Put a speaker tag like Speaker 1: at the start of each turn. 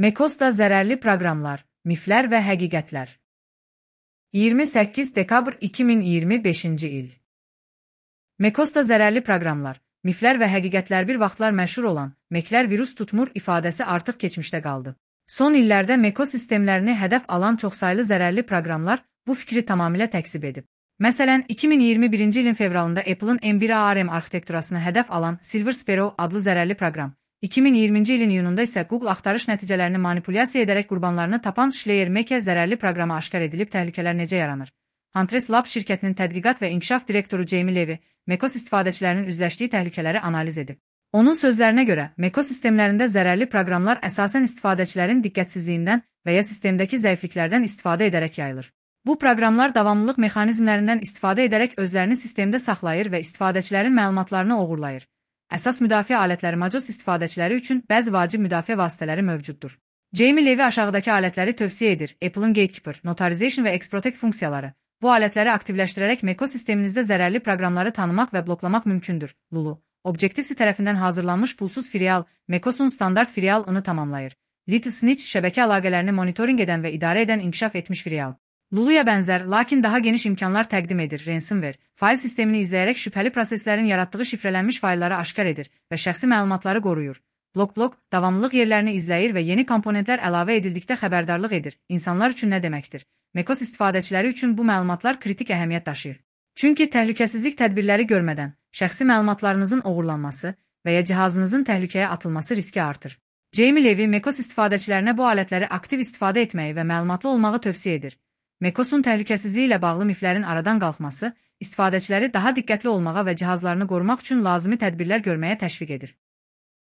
Speaker 1: Mekos'da zərərli proqramlar, miflər və həqiqətlər. 28 dekabr 2025-ci il. Mekos'da zərərli proqramlar, miflər və həqiqətlər bir vaxtlar məşhur olan "Meklər virus tutmur" ifadəsi artıq keçmişdə qaldı. Son illərdə Mekos sistemlərini hədəf alan çoxsaylı zərərli proqramlar bu fikri tamamilə təkzib edib. Məsələn, 2021-ci ilin fevralında Apple'ın M1 ARM arxitekturasını hədəf alan Silver Sparrow adlı zərərli proqram, 2020-ci ilin iyununda isə Google axtarış nəticələrini manipulyasiya edərək qurbanlarını tapan Schleiermaker zərərli proqramı aşkar edilib təhlükələr necə yaranır? Huntress Labs şirkətinin tədqiqat və inkişaf direktoru Jamie Levy, Mekos istifadəçilərinin üzləşdiyi təhlükələri analiz edib. Onun sözlərinə görə, Mekos sistemlərində zərərli proqramlar əsasən istifadəçilərin diqqətsizliyindən və ya sistemdəki zəifliklərdən istifadə edərək yayılır. Bu proqramlar davamlılıq mexanizmlərindən istifadə edərək özlərini sistemdə saxlayır və istifadəçilərin məlumatlarını oğurlayır. Əsas müdafiə alətləri macOS istifadəçiləri üçün bəzi vacib müdafiə vasitələri mövcuddur. Jamie Levy aşağıdakı alətləri tövsiyə edir: Apple'ın Gatekeeper, Notarization və Xprotect funksiyaları. Bu alətləri aktivləşdirərək Mekos sisteminizdə zərərli proqramları tanımaq və bloklamaq mümkündür. Lulu, Objective-C tərəfindən hazırlanmış pulsuz filial, Mekos'un standart filialını tamamlayır. Little Snitch şəbəkə əlaqələrini monitorinq edən və idarə edən inkişaf etmiş filial. Lulu'ya bənzər, lakin daha geniş imkanlar təqdim edir. Ransomware, fayl sistemini izləyərək şübhəli proseslərin yaratdığı şifrələnmiş faylları aşkar edir və şəxsi məlumatları qoruyur. Block, davamlılıq yerlərini izləyir və yeni komponentlər əlavə edildikdə xəbərdarlıq edir. İnsanlar üçün nə deməkdir? Mekos istifadəçiləri üçün bu məlumatlar kritik əhəmiyyət daşıyır. Çünki təhlükəsizlik tədbirləri görmədən şəxsi məlumatlarınızın oğurlanması və ya cihazınızın təhlükəyə atılması riski artır. Jamie Levy Mekos istifadəçilərinə bu alətləri aktiv istifadə etməyi və məlumatlı olmağı tövsiyə edir. Mekos'un təhlükəsizliyi ilə bağlı miflərin aradan qalxması, istifadəçiləri daha diqqətli olmağa və cihazlarını qorumaq üçün lazımi tədbirlər görməyə təşviq edir.